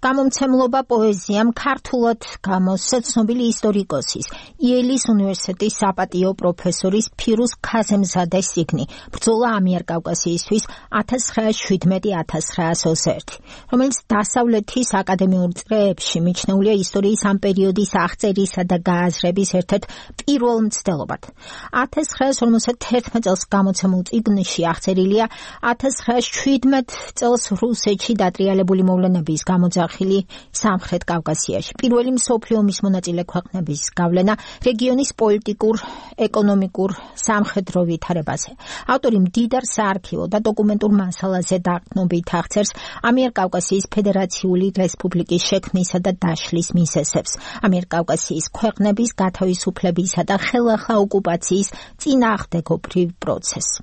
გამომცემლობა პოეზიამ ქართულად გამოსცა ცნობილი ისტორიკოსის, იელის უნივერსიტეტის საპატიო პროფესორის ფირუზ ქაზემზადეს წიგნი ბრძოლა ამიერკავკასიისთვის 1917-1921, რომელიც დასავლეთის აკადემიურ წრეებში მიჩნეულია ისტორიის ამ პერიოდის აღწერისა და გააზრების ერთ-ერთ პირველ მცდელობად. 1951 წელს გამოცემულ წიგნში აღწერილია 1917 წელს რუსეთში დატრიალებული მოვლენების გამოძახილი სამხრეთ კავკასიაში. პირველი მსოფლიო ომის მონაწილე ქვეყნების გავლენა რეგიონის პოლიტიკურ, ეკონომიკურ, სამხედრო ვითარებაზე. ავტორი მდიდარ საარქივო და დოკუმენტურ მასალაზე დაყრდნობით აღწერს ამიერკავკასიის ფედერაციული რესპუბლიკის შექმნისა და დაშლის მიზეზებს, ამიერკავკასიის ქვეყნების გათავისუფლებისა და ხელახლა ოკუპაციის წინააღმდეგობრივ პროცესს.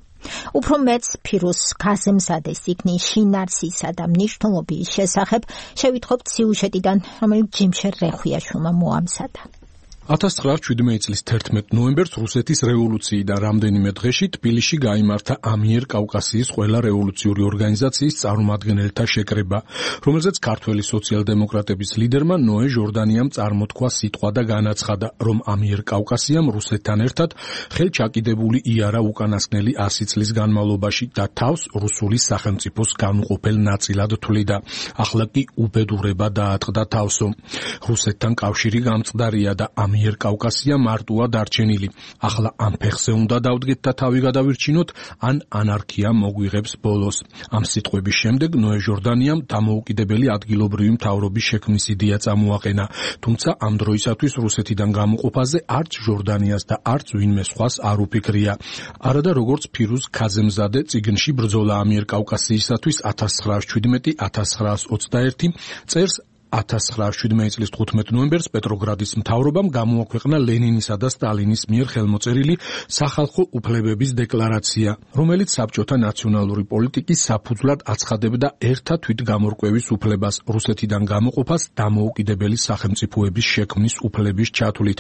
უფრო მეც ფირუზ ქაზემზადეს წიგნის შინაარსისა და მნიშვნელობის შესახებ შევითხობთ სიუჟეტიდან, რომელიც ჯიმშერ რეხვიაშვილმა მოამზადა. 1917 წლის 11 ნოემბერს რუსეთის რევოლუციიდან რამდენიმე დღეში თბილისში გაიმართა ამიერკავკასიის ყველა რევოლუციური ორგანიზაციის წარმომადგენელთა შეკრება, რომელზეც ქართველი სოციალ-დემოკრატების ლიდერმა ნოე ჟორდანიამ წარმოთქვა სიტყვა და განაცხადა, რომ ამიერკავკასიამ რუსეთთან ერთად ხელჩაკიდებული იარა უკანასკნელი 100 წლის განმავლობაში და თავს რუსული სახელმწიფოს განუყოფელ ნაწილად თვლიდა. ახლა კი უბედურება დაატყდა თავსო. რუსეთთან კავშირი გამწყდარია და ამიერკავკასია მარტოა დარჩენილი. ახლა ამ ფეხზე უნდა დავდგეთ და თავი გადავირჩინოთ, ან ანარქია მოგვიღებს ბოლოს. ამ სიტყვების შემდეგ ნოე ჟორდანიამ დამოუკიდებელი ადგილობრივი მთავრობის შექმნის იდეა წამოაყენა, თუმცა ამ დროისათვის რუსეთიდან გამოყოფაზე არც ჟორდანიას და არც ვინმე სხვას არ უფიქრია. არადა როგორც ფირუზ ქაზემზადე წიგნში ბრძოლა ამიერკავკასიისათვის 1917-1921 წერს 1917 წლის 15 ნოემბერს პეტროგრადის მთავრობამ გამოაქვეყნა ლენინისა და სტალინის მიერ ხელმოწერილი სახალხო უფლებების დეკლარაცია, რომელიც საბჭოთა ნაციონალური პოლიტიკის საფუძვლად აცხადებდა ერთა თვითგამორკვევის უფლებას, რუსეთიდან გამოყოფას დამოუკიდებელი სახელმწიფოების შექმნის უფლების ჩათვლით.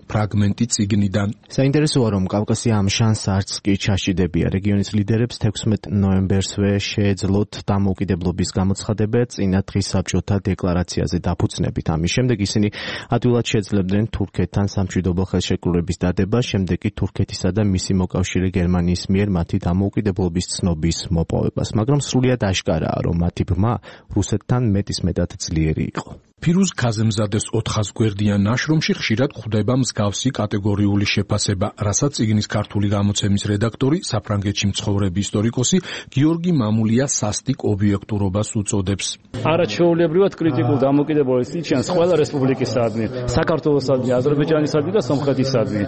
ფრაგმენტი წიგნიდან. საინტერესოა, რომ კავკასია ამ შანსს არც კი ჩაშიდებია. რეგიონის ლიდერებს 16 ნოემბერსვე შეეძლოთ დამოუკიდებლობის გამოცხადება წინა დღის საბჭოთა დეკლარაცია დაფუძნებით. ამის შემდეგ ისინი ადვილად შეძლებდნენ თურქეთთან სამშვიდობო ხელშეკრულების დადება, შემდეგ კი თურქეთისა და მისი მოკავშირე გერმანიის მიერ მათი დამოუკიდებლობის ცნობის მოპოვებას, მაგრამ სრულიად აშკარაა, რომ მათი ბრმა რუსეთთან მეტისმეტად ძლიერი იყო. ფირუზ ქაზემზადეს 400 გვერდიან ნაშრომში ხშირად გვხვდება მსგავსი კატეგორიული შეფასება, რასაც წიგნის ქართული გამოცემის რედაქტორი, საფრანგეთში მცხოვრები ისტორიკოსი გიორგი მამულია სასტიკ ობიექტურობას უწოდებს. არაჩვეულებრივად კრიტიკულ დამოუკიდებლობის იჩენს ყველა რესპუბლიკისადმი, საქართველოსადმი, აზერბაიჯანისადმი და სომხეთისადმი.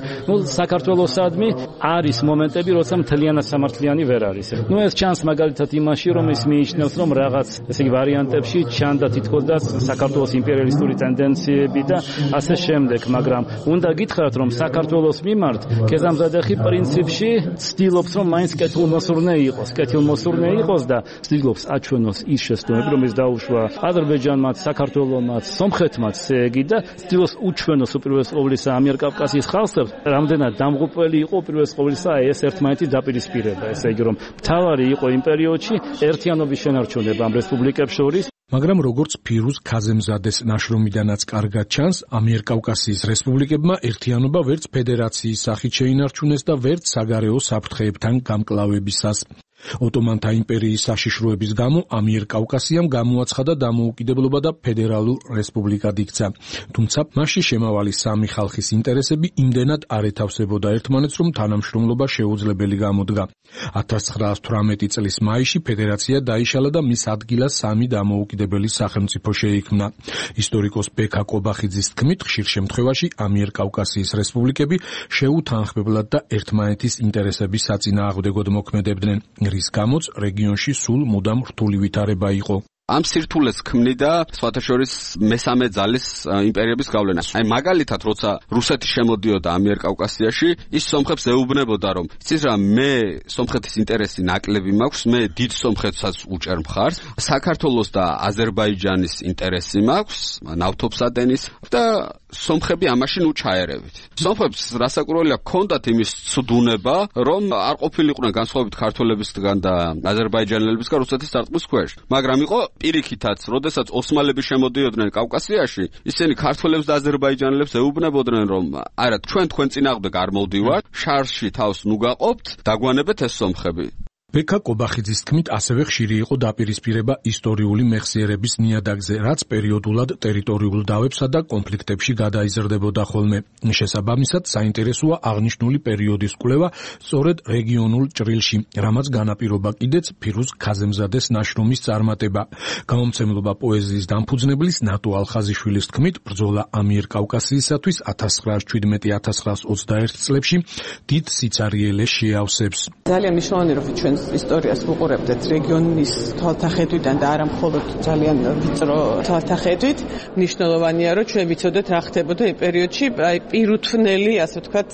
საქართველოსადმი არის მომენტები, როცა მთლიანად სამართლიანი ვერ არის. ეს ჩანს მაგალითად იმაში, რომ ის მიიჩნევს, რომ რაღაც ესე იგი ვარიანტებში ჩანდა თითქოსაც საქართველოს იმპერიალისტური ტენდენციები და ასე შემდეგ, მაგრამ უნდა გითხრათ, რომ საქართველოს მიმართ ქეზამზადეხი პრინციპში ცდილობს, რომ მაინც კეთილმოსურნე იყოს და ცდილობს აჩვენოს ის შეცდომები, რომელიც დაუშვა აზერბაიჯანმაც, საქართველომაც, სომხეთმაც, და ცდილობს უჩვენოს უპირველეს ყოვლისა ამიერკავკასიის ხალხს, რამდენად დამღუპველი იყო უპირველეს ყოვლისა ეს ერთმანეთის დაპირისპირება, ესე იგი, რომ მთავარი იყო იმ პერიოდში ერთიანობის შენარჩუნება ამ რესპუბლიკებს შორის. მაგრამ როგორც ფირუზ ქაზემზადეს ნაშრომიდანაც კარგად ჩანს, ამიერკავკასიის რესპუბლიკებმა ერთიანობა ვერც ფედერაციის სახით შეინარჩუნეს და ვერც საგარეო საფრთხეებთან გამკლავებისას. ოტომანთა იმპერიის საშიშროების გამო ამიერკავკასიამ გამოაცხადა დამოუკიდებლობა და ფედერალურ რესპუბლიკად იქცა. თუმცა მასში შემავალი სამი ხალხის ინტერესები იმდენად არ ეთავსებოდა ერთმანეთს, რომ თანამშრომლობა შეუძლებელი გამოდგა. 1918 წლის მაისში ფედერაცია დაიშალა და მის ადგილას სამი დამოუკიდებელი სახელმწიფო შეიქმნა. ისტორიკოს ბექა კობახიძის თქმით, ხშირ შემთხვევაში ამიერკავკასიის რესპუბლიკები შეუთანხმებლად და ერთმანეთის ინტერესების საწინააღმდეგოდ მოქმედებდნენ, რის გამოც რეგიონში სულ მუდამ რთული ვითარება იყო. ამ სირთულეს ქმნიდა სხვათა შორის მესამე ძალის იმპერიების გავლენა. აი მაგალითად, როცა რუსეთი შემოდიოდა ამიერკავკასიაში, ის სომხებს ეუბნებოდა, რომ იცით რა, მე სომხეთის ინტერესი ნაკლები მაქვს, მე დიდ სომხეთსაც უჭერ მხარს, საქართველოს და აზერბაიჯანის ინტერესი მაქვს, ნავთობსადენის და სომხები ამაში ნუ ჩაერევით. სომხებს რასაკურველია ჰქონდათ იმის ცდუნება, რომ არ ყოფილიყვნენ განსხვავებით ქართველებისგან და აზერბაიჯანელებისგან რუსეთის სარტყლის ქვეშ, მაგრამ იყო პირიქითაც, როდესაც ოსმალები შემოდიოდნენ კავკასიაში, ისინი ქართველებს და აზერბაიჯანელებს ეუბნებოდნენ, რომ არა, თქვენ წინააღმდეგ არ მოვდივართ, შარში თავს ნუ გაყოფთ, დაგვანებეთ ეს სომხები. ბექა კობახიძის თქმით, ასევე ხშირი იყო დაპირისპირება ისტორიული მეხსიერების ნიადაგზე, რაც პერიოდულად ტერიტორიულ დავებსა და კონფლიქტებში გადაიზრდებოდა ხოლმე. შესაბამისად, საინტერესოა აღნიშნული პერიოდის კვლევა სწორედ რეგიონულ ჭრილში, რამაც განაპირობა კიდეც ფირუზ ქაზემზადეს ნაშრომის წარმატება. გამომცემლობა პოეზიის დამფუძნებლის ნატო ალხაზიშვილის თქმით, ბრძოლა ამიერკავკასიისათვის 1917-1921 წლებში დიდ სიცარიელეს შეავსებს. ძალიან მნიშვნელოვანი რომ ჩვენ ისტორიას ვუყურებდეთ რეგიონის თვალთახედვიდან და არა მხოლოდ ძალიან ვიწრო თვალთახედვით. მნიშვნელოვანია რომ ჩვენ ვიცოდეთ რა ხდებოდა იმ პერიოდში, აი პირუთვნელი, ასე ვთქვათ,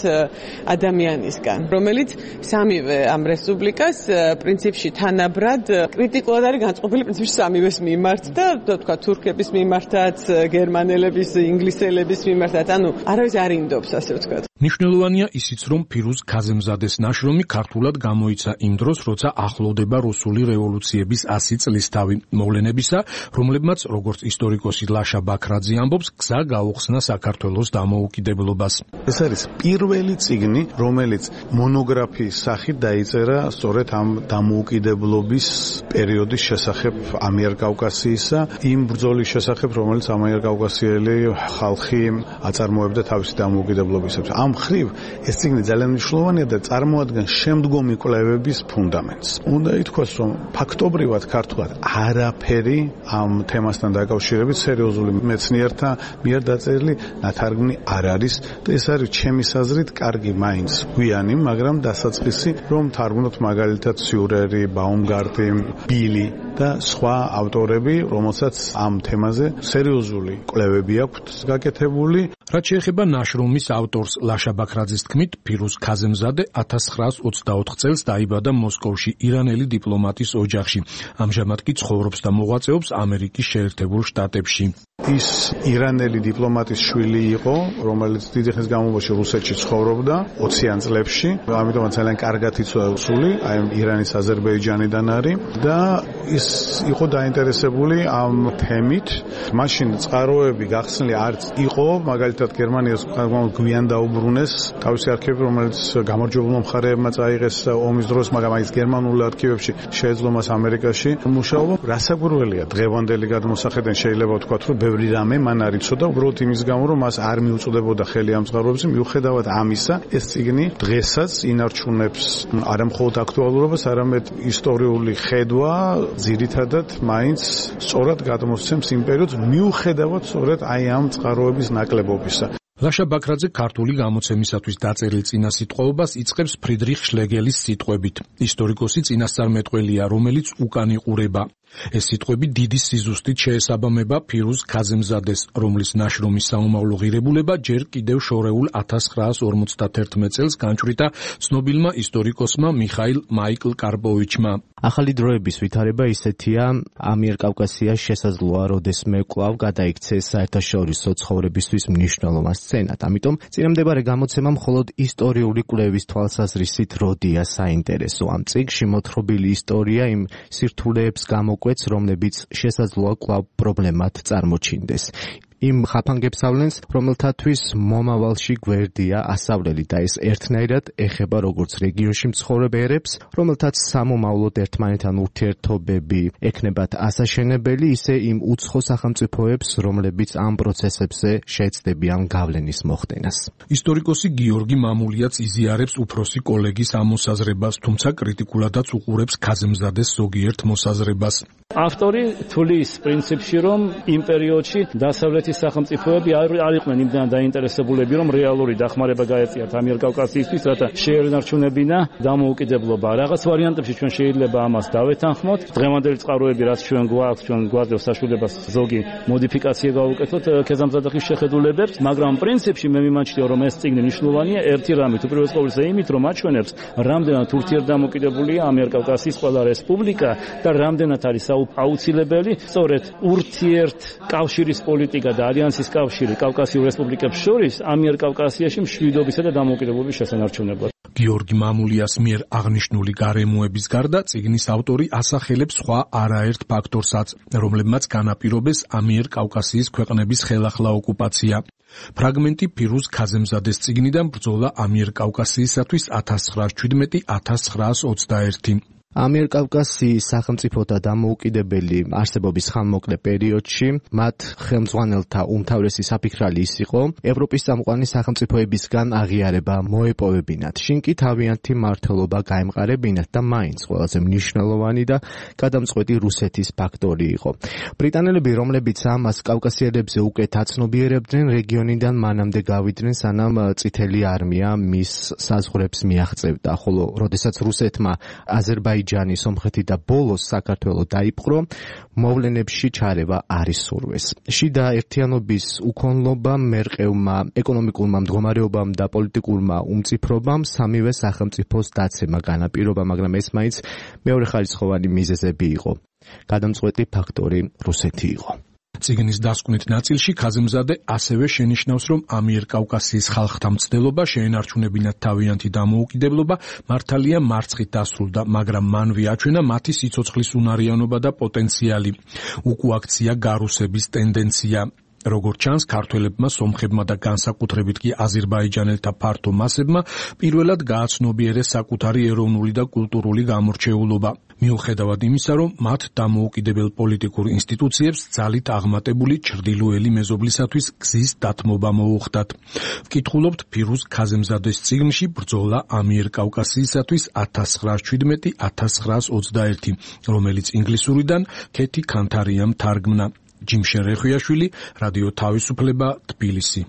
ადამიანისგან, რომელიც სამივე ამ რესპუბლიკას პრინციპში თანაბრად კრიტიკულად არის განწყობილი პრინციპში სამივეს მიმართ და თქვა თურქების მიმართაც, გერმანელების, ინგლისელების მიმართაც, ანუ არავის არ ინდობს, ასე ვთქვათ. მნიშვნელოვანია ისიც, რომ ფირუზ ქაზემზადეს ნაშრომი ქართულად გამოიცა იმ დროს, როცა ახლოვდება რუსული რევოლუციების 100 წლისთავი, მოვლენებისა, რომლებმაც, როგორც ისტორიკოსი ლაშა ბაქრაძე ამბობს, გზა გაუხსნა საქართველოს დამოუკიდებლობას. ეს არის პირველი წიგნი, რომელიც მონოგრაფიის სახით დაიწერა სწორედ ამ დამოუკიდებლობის პერიოდის შესახებ ამიერკავკასიისა, იმ ბრძოლის შესახებ, რომელიც ამიერკავკასიელი ხალხი აწარმოებდა თავისი დამოუკიდებლობისათვის. ამ მხრივ ეს წიგნი ძალიან მნიშვნელოვანია და წარმოადგენს შემდგომი კვლევების ფუნდამენტს. უნდა ითქვას, რომ ფაქტობრივად ქართულად არაფერი ამ თემასთან დაკავშირებით სერიოზული მეცნიერთა მიერ დაწერილი ნათარგმნი არ არის და ეს არის ჩემი აზრით კარგი მაინც გვიანი, მაგრამ დასაწყისი, რომ თარგმნოთ მაგალითად სიურერი, ბაუმგარტი, ბილი და სხვა ავტორები, რომელსაც ამ თემაზე სერიოზული კვლევები აქვთ გაკეთებული. რაც შეეხება ნაშრომის ავტორს ლაშა ბაქრაძის თქმით, ფირუზ ქაზემზადე 1924 წელს დაიბადა მოსკოვში ირანელი დიპლომატის ოჯახში. ამჟამად კი ცხოვრობს და მოღვაწეობს ამერიკის შეერთებულ შტატებში. ის ირანელი დიპლომატის შვილი იყო, რომელიც დიდი ხნის განმავლობაში რუსეთში ცხოვრობდა 20-იან წლებში, ამიტომაც ძალიან კარგად იცოდა რუსული, აი ირანის აზერბაიჯანიდან არის და ის იყო დაინტერესებული ამ თემით. მაშინ წყაროები გახსნილი არც იყო, მაგალითად გერმანიას გვიან დაუბრუნეს თავისი არქივები, რომელიც გამარჯვებულმა მხარეებმა წაიღეს ომის დროს, მაგრამ აი ეს გერმანულ არქივებში შეეძლო მას ამერიკაში მუშაობა. რასაკვირველია, დღევანდელი გადმოსახედიდან შეიძლება ვთქვათ, რომ ბევრი რამე მან არ იცოდა, უბრალოდ იმის გამო, რომ მას არ მიუწოდებოდა ხელი ამ წყაროებზე, მიუხედავად ამისა, ეს წიგნი დღესაც ინარჩუნებს არა მხოლოდ აქტუალურობას, არამედ ისტორიული ხედვა ძირითადად მაინც სწორად გადმოსცემს იმ პერიოდს, მიუხედავად სწორედ აი ამ წყაროების ნაკლებობისა. ლაშა ბაქრაძე ქართული გამოცემისათვის დაწერილ წინასიტყვაობას იწყებს ფრიდრიხ შლეგელის სიტყვებით. ისტორიკოსი წინასწარმეტყველია, რომელიც უკან იყურება. ეს სიტყვები დიდი სიზუსტით შეესაბამება ფირუზ ქაზემზადეს, რომლის ნაშრომის საომავლო ღირებულება ჯერ კიდევ შორეულ 1951 წელს განჭვრიტა ცნობილმა ისტორიკოსმა მიხაილ მაიკლ კარპოვიჩმა. ახალი დროების ვითარება ისეთია, ამიერკავკასია შესაძლოა, როდესმე კვლავ გადაიქცეს საერთაშორისო ცხოვრებისთვის მნიშვნელოვან სცენად. ამიტომ წინამდებარე გამოცემა მხოლოდ ისტორიული კვლევის თვალსაზრისით როდია საინტერესო. ამ წიგნში მოთხრობილი ისტორია იმ სირთულეებს გამოკვეთს, რომლებიც შესაძლოა კვლავ პრობლემად წარმოჩინდეს. იმ ხაფანგებს რომელთათვის მომავალში გვერდია ასავლელი და ეს ერთნაირად ეხება როგორც რეგიონში მცხოვრებ ერებს, რომელთაც სამომავლოდ ერთმანეთთან ურთიერთობები ექნებათ ასაშენებელი, ისე იმ უცხო სახელმწიფოებს, რომლებიც ამ პროცესებზე შეეცდებიან გავლენის მოხდენას. ისტორიკოსი გიორგი მამულიაც იზიარებს უფროსი კოლეგის ამ მოსაზრებას, თუმცა კრიტიკულადაც უყურებს ქაზემზადეს ზოგიერთ მოსაზრებას. ავტორი თulis პრინციპში, რომ იმ პერიოდში დასავლეთის სახელმწიფოები არ იყვნენ იმდან დაინტერესებულები, რომ რეალური დახმარება გაეწიათ ამიერკავკასიისთვის, რათა შეენარჩუნებინა დამოუკიდებლობა. რაღაც ვარიანტებში ჩვენ შეიძლება ამას დავეთანხმოთ. დღევანდელი წყაროები, რაც ჩვენ გვაძლევს საშუალებას ზოგი მოდიფიკაცია გავუკეთოთ ქეზამზადახის შეხედულებებს, მაგრამ პრინციპში მე მიმაჩნია, რომ ეს წიგნი მნიშვნელოვანია ერთი რამით, უპირველეს ყოვლისა იმით, რომ აჩვენებს, რამდენად ურთიერთდამოკიდებულია ამიერკავკასიის ყველა რესპუბლიკა და რამდენად არის აუცილებელი სწორედ ურთიერთკავშირის პოლიტიკა და ალიანსის კავშირი კავკასიურ რესპუბლიკებს შორის ამიერკავკასიაში მშვიდობისა და დამოუკიდებლობის შესანარჩუნებლად. გიორგი მამულიას მიერ აღნიშნული გარემოების გარდა წიგნის ავტორი ასახელებს სხვა არაერთ ფაქტორსაც, რომლებმაც განაპირობეს ამიერკავკასიის ქვეყნების ხელახლა ოკუპაცია. ფრაგმენტი ფირუზ ქაზემზადეს წიგნიდან ბრძოლა ამიერკავკასიისათვის 1917-1921. ამიერკავკასიის სახელმწიფოთა დამოუკიდებელი არსებობის ხანმოკლე პერიოდში მათ ხელმძღვანელთა უმთავრესი საფიქრალი ის იყო ევროპის წამყვანი სახელმწიფოებისგან აღიარება მოეპოვებინათ, შინ კი თავიანთი მმართველობა გაემყარებინათ და მაინც ყველაზე მნიშვნელოვანი და გადამწყვეტი რუსეთის ფაქტორი იყო. ბრიტანელები, რომლებიც ამას კავკასიელებზე უკეთ აცნობიერებდნენ, რეგიონიდან მანამდე გავიდნენ, სანამ წითელი არმია მის საზღვრებს მიაღწევდა, ხოლო როდესაც რუსეთმა აზერბაიჯანი, სომხეთი და ბოლოს საქართველო დაიპყრო, მოვლენებში ჩარევა არ ისურვეს. შიდა ერთიანობის უქონლობა, მერყევმა ეკონომიკურმა მდგომარეობამ და პოლიტიკურმა უმწიფრობამ სამივე სახელმწიფოს დაცემა განაპირობა, მაგრამ ეს მაინც მეორეხარისხოვანი მიზეზები იყო. გადამწყვეტი ფაქტორი რუსეთი იყო. წიგნის დასკვნით ნაწილში ქაზემზადე ასევე შენიშნავს, რომ ამიერკავკასიის ხალხთა მცდელობა შეენარჩუნებინათ თავიანთი დამოუკიდებლობა მართალია მარცხით დასრულდა, მაგრამ მანვე აჩვენა მათი სიცოცხლის უნარიანობა და პოტენციალი. უკუაქცია გარუსების ტენდენცია. როგორც ჩანს, ქართველებმა, სომხებმა და განსაკუთრებით კი აზერბაიჯანელთა ფართო მასებმა პირველად გააცნობიერეს საკუთარი ეროვნული და კულტურული გამორჩეულობა. მიუხედავად იმისა, რომ მათ დამოუკიდებელ პოლიტიკურ ინსტიტუციებს ძალით აღმატებული ჩრდილოელი მეზობლისათვის გზის დათმობა მოუხდათ. ვკითხულობთ ფირუზ ქაზემზადეს წიგნში ბრძოლა ამიერკავკასიისათვის 1917-1921, რომელიც ინგლისურიდან ქეთი ქანთარიამ თარგმნა. ჯიმ შერეხვიაშვილი, რადიო თავისუფლება, თბილისი.